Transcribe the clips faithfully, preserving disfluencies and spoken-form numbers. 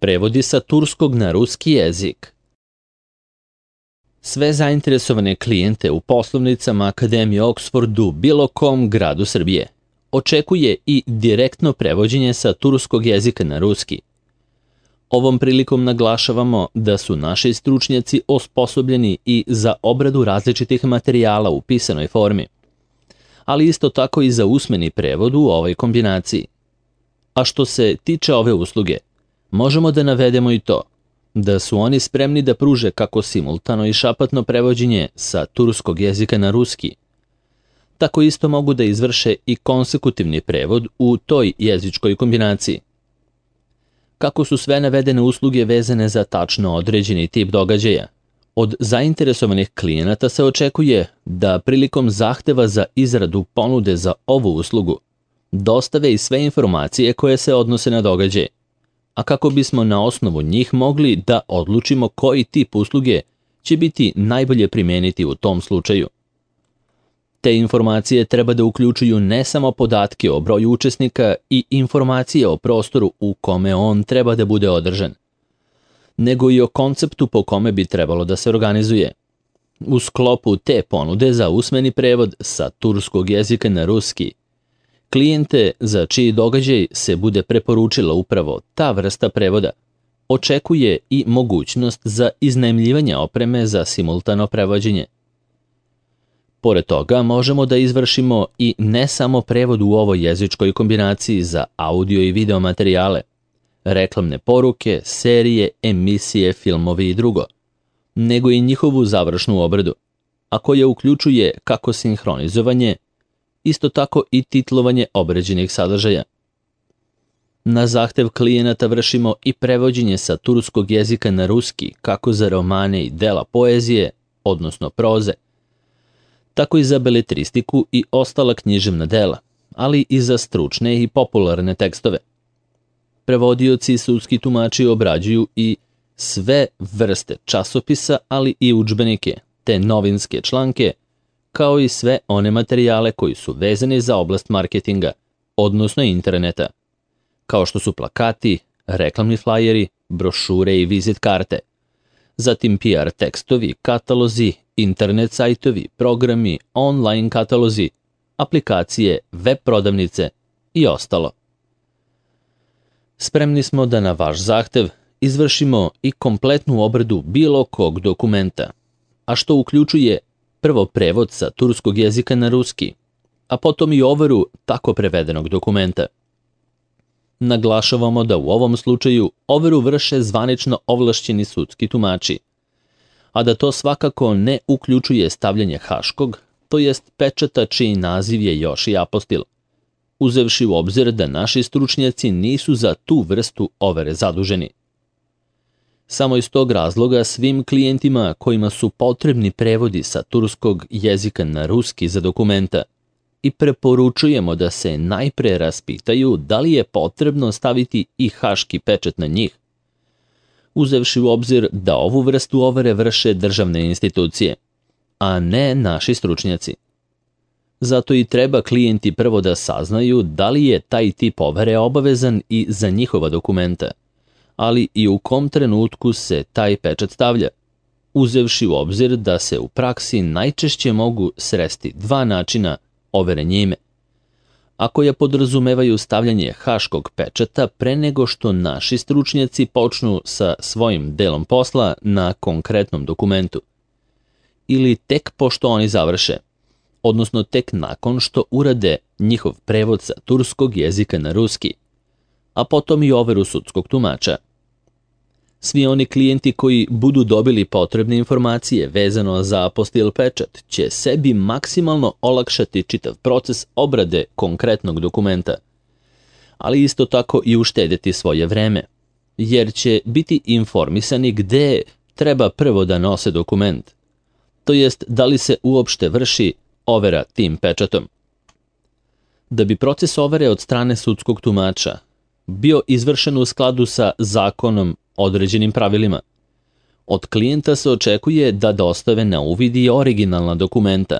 Prevodi sa turskog na ruski jezik. Sve zainteresovane klijente u poslovnicama Akademije Oxford u bilo kom gradu Srbije očekuje i direktno prevođenje sa turskog jezika na ruski. Ovom prilikom naglašavamo da su naši stručnjaci osposobljeni i za obradu različitih materijala u pisanoj formi, ali isto tako i za usmeni prevod u ovoj kombinaciji. A što se tiče ove usluge, možemo da navedemo i to da su oni spremni da pruže kako simultano i šapatno prevođenje sa turskog jezika na ruski, tako isto mogu da izvrše i konsekutivni prevod u toj jezičkoj kombinaciji. Kako su sve navedene usluge vezane za tačno određeni tip događaja, od zainteresovanih klijenata se očekuje da prilikom zahteva za izradu ponude za ovu uslugu dostave i sve informacije koje se odnose na događaj, a kako bismo na osnovu njih mogli da odlučimo koji tip usluge će biti najbolje primeniti u tom slučaju. Te informacije treba da uključuju ne samo podatke o broju učesnika i informacije o prostoru u kome on treba da bude održan, nego i o konceptu po kome bi trebalo da se organizuje. U sklopu te ponude za usmeni prevod sa turskog jezika na ruski, klijente za čiji događaj se bude preporučila upravo ta vrsta prevoda očekuje i mogućnost za iznajmljivanje opreme za simultano prevođenje. Pored toga možemo da izvršimo i ne samo prevod u ovoj jezičkoj kombinaciji za audio i video materijale, reklamne poruke, serije, emisije, filmovi i drugo, nego i njihovu završnu obradu, a koja uključuje kako sinhronizovanje, isto tako i titlovanje određenih sadržaja. Na zahtev klijenata vršimo i prevođenje sa turskog jezika na ruski, kako za romane i dela poezije, odnosno proze, tako i za beletristiku i ostala književna dela, ali i za stručne i popularne tekstove. Prevodioci i sudski tumači obrađuju i sve vrste časopisa, ali i udžbenike, te novinske članke, kao i sve one materijale koji su vezani za oblast marketinga, odnosno interneta, kao što su plakati, reklamni flajeri, brošure i vizit karte, zatim P R tekstovi, katalozi, internet sajtovi, programi, online katalozi, aplikacije, web prodavnice i ostalo. Spremni smo da na vaš zahtev izvršimo i kompletnu obradu bilo kog dokumenta, a što uključuje prvo prevod sa turskog jezika na ruski, a potom i overu tako prevedenog dokumenta. Naglašavamo da u ovom slučaju overu vrše zvanično ovlašćeni sudski tumači, a da to svakako ne uključuje stavljanje haškog, to jest pečata čiji naziv je još i apostil, uzevši u obzir da naši stručnjaci nisu za tu vrstu overe zaduženi. Samo iz tog razloga svim klijentima kojima su potrebni prevodi sa turskog jezika na ruski za dokumenta i preporučujemo da se najpre raspitaju da li je potrebno staviti i haški pečat na njih, uzevši u obzir da ovu vrstu overe vrše državne institucije, a ne naši stručnjaci. Zato i treba klijenti prvo da saznaju da li je taj tip overe obavezan i za njihova dokumenta, ali i u kom trenutku se taj pečat stavlja, uzevši u obzir da se u praksi najčešće mogu sresti dva načina overe njime, a koja podrazumevaju stavljanje haškog pečata pre nego što naši stručnjaci počnu sa svojim delom posla na konkretnom dokumentu, ili tek pošto oni završe, odnosno tek nakon što urade njihov prevod sa turskog jezika na ruski, a potom i overu sudskog tumača. Svi oni klijenti koji budu dobili potrebne informacije vezano za apostil pečat će sebi maksimalno olakšati čitav proces obrade konkretnog dokumenta, ali isto tako i uštedjeti svoje vreme, jer će biti informisani gde treba prvo da nose dokument, to jest da li se uopšte vrši overa tim pečatom. Da bi proces overe od strane sudskog tumača bio izvršen u skladu sa zakonom određenim pravilima, od klijenta se očekuje da dostave na uvid i originalna dokumenta,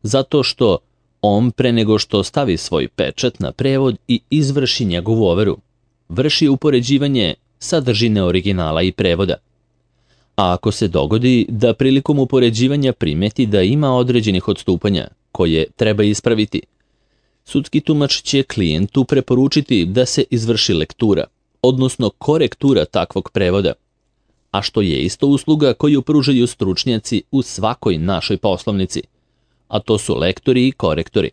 zato što on pre nego što stavi svoj pečat na prevod i izvrši njegovu overu, vrši upoređivanje sadržine originala i prevoda. A ako se dogodi da prilikom upoređivanja primeti da ima određenih odstupanja koje treba ispraviti, sudski tumač će klijentu preporučiti da se izvrši lektura, odnosno korektura takvog prevoda, a što je isto usluga koju pružaju stručnjaci u svakoj našoj poslovnici, a to su lektori i korektori.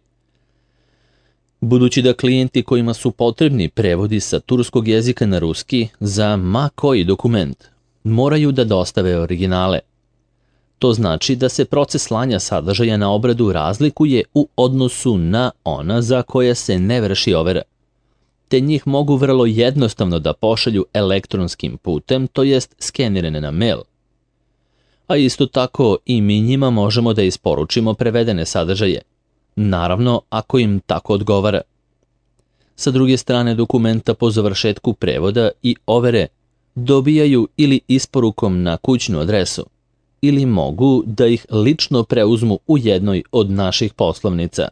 Budući da klijenti kojima su potrebni prevodi sa turskog jezika na ruski za ma koji dokument moraju da dostave originale. To znači da se proces slanja sadržaja na obradu razlikuje u odnosu na ona za koje se ne vrši overa, te njih mogu vrlo jednostavno da pošalju elektronskim putem, to jest skenirane na mail. A isto tako i mi njima možemo da isporučimo prevedene sadržaje, naravno ako im tako odgovara. Sa druge strane, dokumenta po završetku prevoda i overe dobijaju ili isporukom na kućnu adresu, ili mogu da ih lično preuzmu u jednoj od naših poslovnica.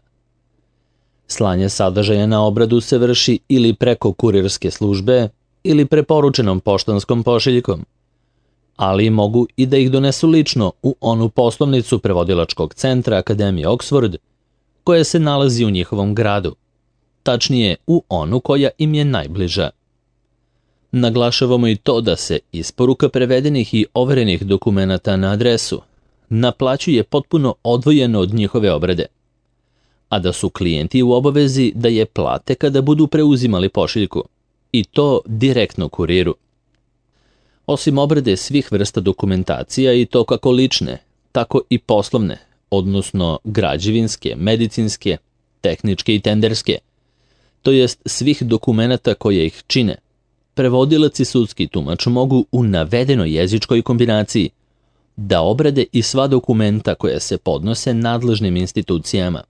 Slanje sadržaja na obradu se vrši ili preko kurirske službe ili preporučenom poštanskom pošiljkom, ali mogu i da ih donesu lično u onu poslovnicu prevodilačkog centra Akademije Oxford koja se nalazi u njihovom gradu, tačnije u onu koja im je najbliža. Naglašavamo i to da se isporuka prevedenih i overenih dokumenata na adresu naplaćuje potpuno odvojeno od njihove obrade, a da su klijenti u obavezi da je plate kada budu preuzimali pošiljku, i to direktno kuriru. Osim obrade svih vrsta dokumentacija, i to kako lične, tako i poslovne, odnosno građevinske, medicinske, tehničke i tenderske, to jest svih dokumenata koje ih čine, prevodilac i sudski tumač mogu u navedenoj jezičkoj kombinaciji da obrade i sva dokumenta koja se podnose nadležnim institucijama,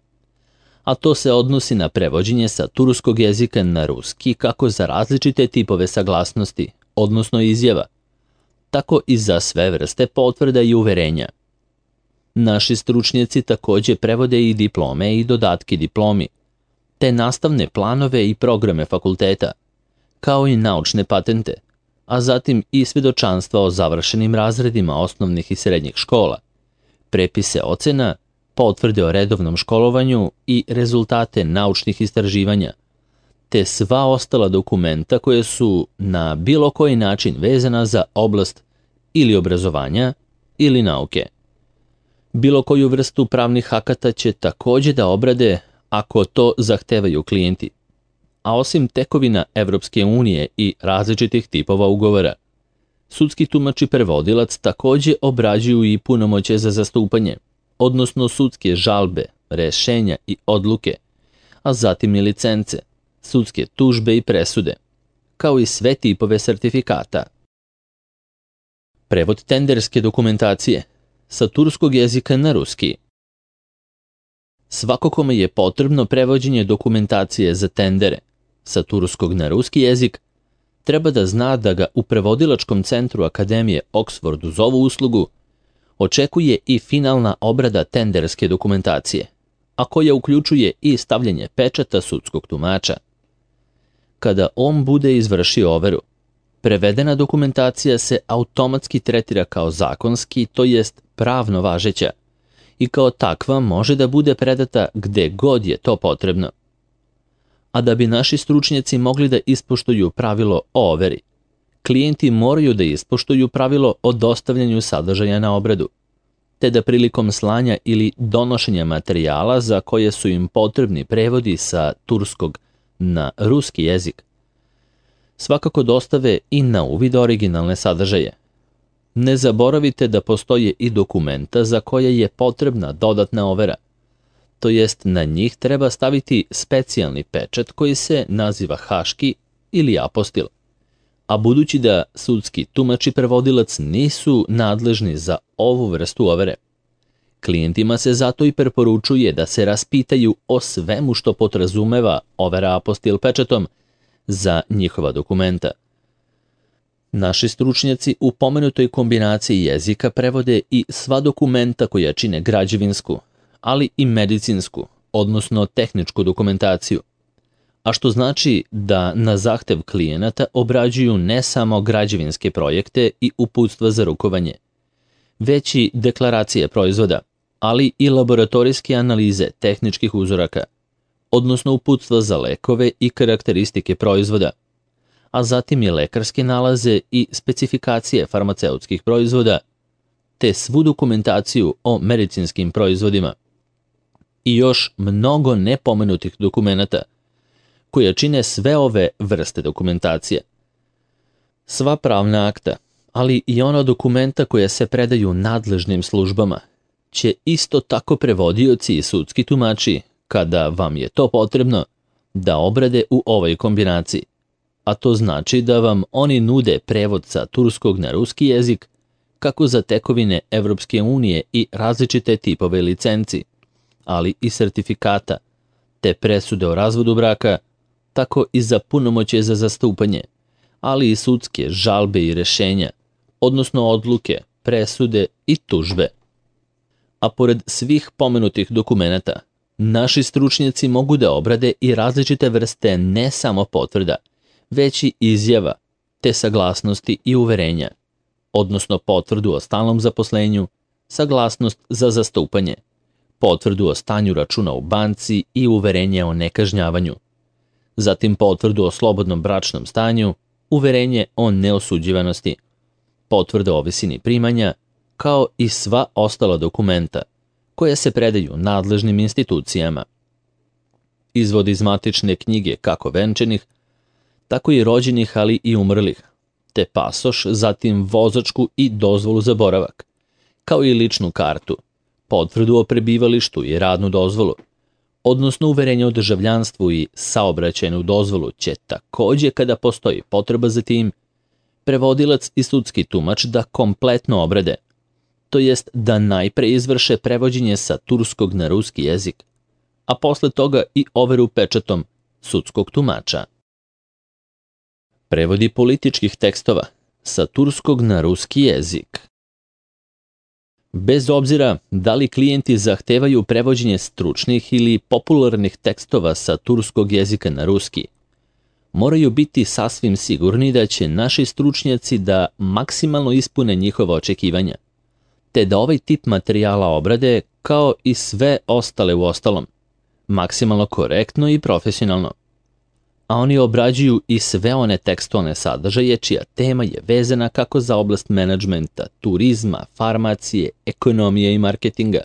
a to se odnosi na prevođenje sa turskog jezika na ruski kako za različite tipove saglasnosti, odnosno izjava, tako i za sve vrste potvrda i uverenja. Naši stručnjaci takođe prevode i diplome i dodatke diplomi, te nastavne planove i programe fakulteta, kao i naučne patente, a zatim i svedočanstva o završenim razredima osnovnih i srednjih škola, prepise ocena, potvrde o redovnom školovanju i rezultate naučnih istraživanja, te sva ostala dokumenta koje su na bilo koji način vezana za oblast ili obrazovanja ili nauke. Bilo koju vrstu pravnih akata će takođe da obrade ako to zahtevaju klijenti, a osim tekovina Evropske unije i različitih tipova ugovora, sudski tumač i prevodilac takođe obrađuju i punomoćje za zastupanje, odnosno sudske žalbe, rešenja i odluke, a zatim i licence, sudske tužbe i presude, kao i sve tipove sertifikata. Prevod tenderske dokumentacije sa turskog jezika na ruski. Svako kome je potrebno prevođenje dokumentacije za tendere sa turskog na ruski jezik, treba da zna da ga u prevodilačkom centru Akademije Oxford uz ovu uslugu očekuje i finalna obrada tenderske dokumentacije, a koja uključuje i stavljanje pečata sudskog tumača. Kada on bude izvršio overu, prevedena dokumentacija se automatski tretira kao zakonski, to jest pravno važeća, i kao takva može da bude predata gde god je to potrebno. A da bi naši stručnjaci mogli da ispoštuju pravilo o overi, klijenti moraju da ispoštuju pravilo o dostavljanju sadržaja na obradu, te da prilikom slanja ili donošenja materijala za koje su im potrebni prevodi sa turskog na ruski jezik, svakako dostave i na uvid originalne sadržaje. Ne zaboravite da postoje i dokumenta za koje je potrebna dodatna overa, to jest na njih treba staviti specijalni pečat koji se naziva haški ili apostil, a budući da sudski tumač i prevodilac nisu nadležni za ovu vrstu overe, klijentima se zato i preporučuje da se raspitaju o svemu što podrazumeva overa apostil pečatom za njihova dokumenta. Naši stručnjaci u pomenutoj kombinaciji jezika prevode i sva dokumenta koja čine građevinsku, ali i medicinsku, odnosno tehničku dokumentaciju, a što znači da na zahtev klijenata obrađuju ne samo građevinske projekte i uputstva za rukovanje, već i deklaracije proizvoda, ali i laboratorijske analize tehničkih uzoraka, odnosno uputstva za lekove i karakteristike proizvoda, a zatim i lekarske nalaze i specifikacije farmaceutskih proizvoda, te svu dokumentaciju o medicinskim proizvodima i još mnogo nepomenutih dokumenata koja čine sve ove vrste dokumentacije. Sva pravna akta, ali i ona dokumenta koja se predaju nadležnim službama, će isto tako prevodioci i sudski tumači, kada vam je to potrebno, da obrade u ovoj kombinaciji. A to znači da vam oni nude prevod sa turskog na ruski jezik, kako za tekovine Evropske unije i različite tipove licenci, ali i sertifikata, te presude o razvodu braka, tako i za punomoćje za zastupanje, ali i sudske žalbe i rešenja, odnosno odluke, presude i tužbe. A pored svih pomenutih dokumenata, naši stručnjaci mogu da obrade i različite vrste ne samo potvrda, već i izjava, te saglasnosti i uverenja, odnosno potvrdu o stalnom zaposlenju, saglasnost za zastupanje, potvrdu o stanju računa u banci i uverenje o nekažnjavanju, zatim potvrdu o slobodnom bračnom stanju, uverenje o neosuđivanosti, potvrda o visini primanja, kao i sva ostala dokumenta koja se predaju nadležnim institucijama. Izvod iz matične knjige kako venčanih, tako i rođenih, ali i umrlih, te pasoš, zatim vozačku i dozvolu za boravak, kao i ličnu kartu, potvrdu o prebivalištu i radnu dozvolu, odnosno uverenje o državljanstvu i saobraćajnu dozvolu će takođe, kada postoji potreba za tim, prevodilac i sudski tumač da kompletno obrade, to jest da najpre izvrše prevođenje sa turskog na ruski jezik, a posle toga i overu pečatom sudskog tumača. Prevodi političkih tekstova sa turskog na ruski jezik. Bez obzira da li klijenti zahtevaju prevođenje stručnih ili popularnih tekstova sa turskog jezika na ruski, moraju biti sasvim sigurni da će naši stručnjaci da maksimalno ispune njihova očekivanja, te da ovaj tip materijala obrade kao i sve ostale u ostalom, maksimalno korektno i profesionalno. A oni obrađuju i sve one tekstualne sadržaje čija tema je vezana kako za oblast menadžmenta, turizma, farmacije, ekonomije i marketinga,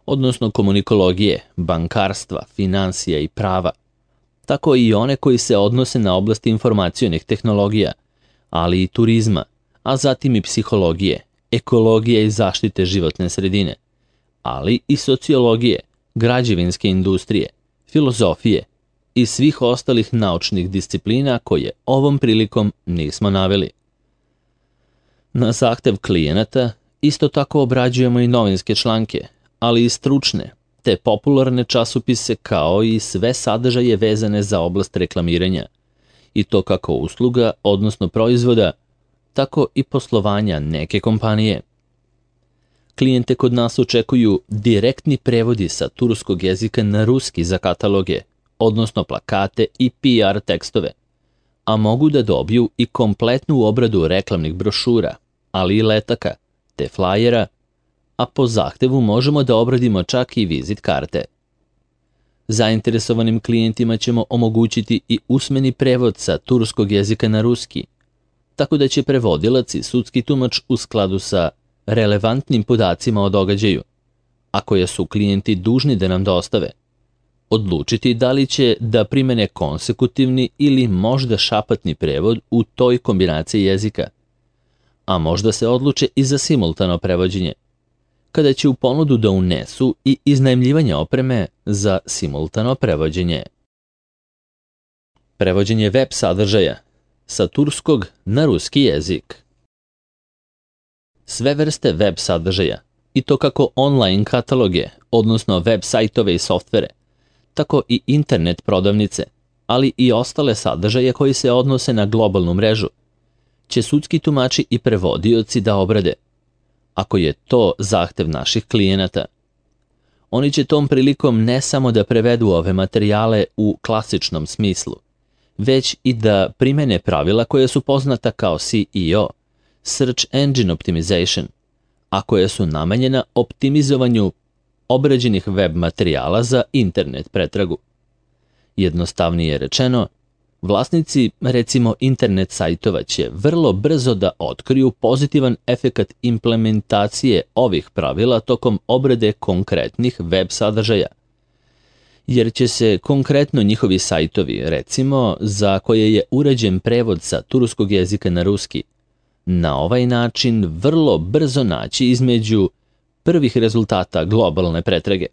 odnosno komunikologije, bankarstva, finansija i prava, tako i one koji se odnose na oblast informacionih tehnologija, ali i turizma, a zatim i psihologije, ekologije i zaštite životne sredine, ali i sociologije, građevinske industrije, filozofije i svih ostalih naučnih disciplina koje ovom prilikom nismo naveli. Na zahtev klijenata isto tako obrađujemo i novinske članke, ali i stručne, te popularne časopise kao i sve sadržaje vezane za oblast reklamiranja, i to kako usluga, odnosno proizvoda, tako i poslovanja neke kompanije. Klijente kod nas očekuju direktni prevodi sa turskog jezika na ruski za kataloge, odnosno plakate i P R tekstove, a mogu da dobiju i kompletnu obradu reklamnih brošura, ali i letaka, te flajera, a po zahtevu možemo da obradimo čak i vizit karte. Zainteresovanim klijentima ćemo omogućiti i usmeni prevod sa turskog jezika na ruski, tako da će prevodilac i sudski tumač u skladu sa relevantnim podacima o događaju, a koje su klijenti dužni da nam dostave, odlučiti da li će da primene konsekutivni ili možda šapatni prevod u toj kombinaciji jezika, a možda se odluče i za simultano prevođenje, kada će u ponudu da unesu i iznajmljivanje opreme za simultano prevođenje. Prevođenje web sadržaja sa turskog na ruski jezik. Sve vrste web sadržaja, i to kako online kataloge, odnosno web sajtove i softvere, tako i internet prodavnice, ali i ostale sadržaje koji se odnose na globalnu mrežu, će sudski tumači i prevodioci da obrade, ako je to zahtev naših klijenata. Oni će tom prilikom ne samo da prevedu ove materijale u klasičnom smislu, već i da primene pravila koje su poznata kao S E O, Search Engine Optimization, a koje su namenjena optimizovanju obrađenih web materijala za internet pretragu. Jednostavnije rečeno, vlasnici, recimo internet sajtova, će vrlo brzo da otkriju pozitivan efekat implementacije ovih pravila tokom obrade konkretnih web sadržaja, jer će se konkretno njihovi sajtovi, recimo za koje je urađen prevod sa turskog jezika na ruski, na ovaj način vrlo brzo naći između prvih rezultata globalne pretrage.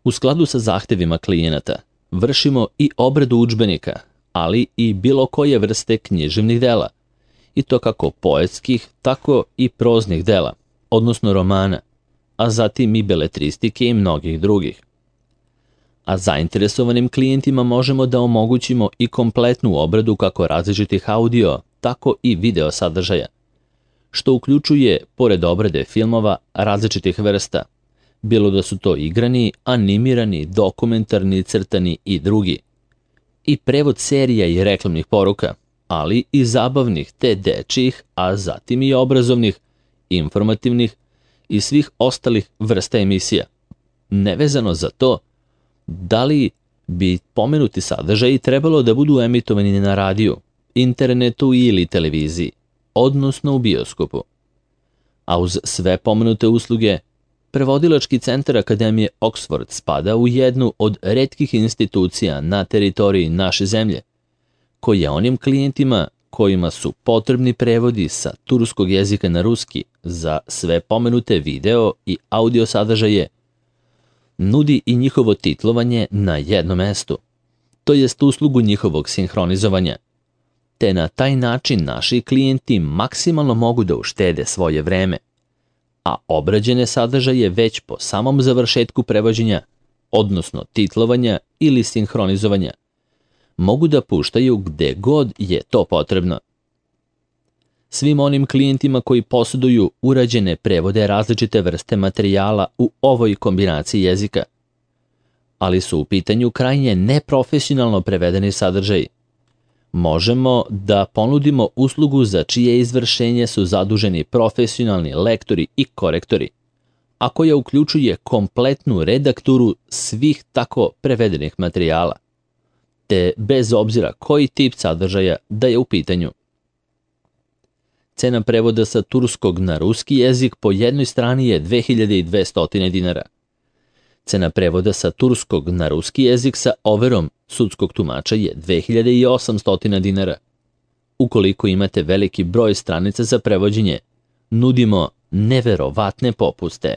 U skladu sa zahtevima klijenata, vršimo i obradu udžbenika, ali i bilo koje vrste književnih dela, i to kako poetskih, tako i proznih dela, odnosno romana, a zatim i beletristike i mnogih drugih. A zainteresovanim klijentima možemo da omogućimo i kompletnu obradu kako različitih audio, tako i video sadržaja, što uključuje, pored obrade filmova, različitih vrsta, bilo da su to igrani, animirani, dokumentarni, crtani i drugi, i prevod serija i reklamnih poruka, ali i zabavnih te dečijih, a zatim i obrazovnih, informativnih i svih ostalih vrsta emisija. Nevezano za to, da li bi pomenuti sadržaji trebalo da budu emitovani na radiju, internetu ili televiziji, odnosno u bioskopu. A uz sve pomenute usluge, Prevodilački centar Akademije Oxford spada u jednu od retkih institucija na teritoriji naše zemlje, koja onim klijentima kojima su potrebni prevodi sa turskog jezika na ruski za sve pomenute video i audio sadržaje, nudi i njihovo titlovanje na jednom mestu, to jest uslugu njihovog sinhronizovanja, te na taj način naši klijenti maksimalno mogu da uštede svoje vreme, a obrađene sadržaje već po samom završetku prevođenja, odnosno titlovanja ili sinhronizovanja, mogu da puštaju gde god je to potrebno. Svim onim klijentima koji posjeduju urađene prevode različite vrste materijala u ovoj kombinaciji jezika, ali su u pitanju krajnje neprofesionalno prevedeni sadržaji, možemo da ponudimo uslugu za čije izvršenje su zaduženi profesionalni lektori i korektori, a koja uključuje kompletnu redakturu svih tako prevedenih materijala, te bez obzira koji tip sadržaja da je u pitanju. Cena prevoda sa turskog na ruski jezik po jednoj strani je dve hiljade dvesta dinara. Cena prevoda sa turskog na ruski jezik sa overom sudskog tumača je dve hiljade osamsto dinara. Ukoliko imate veliki broj stranica za prevođenje, nudimo neverovatne popuste.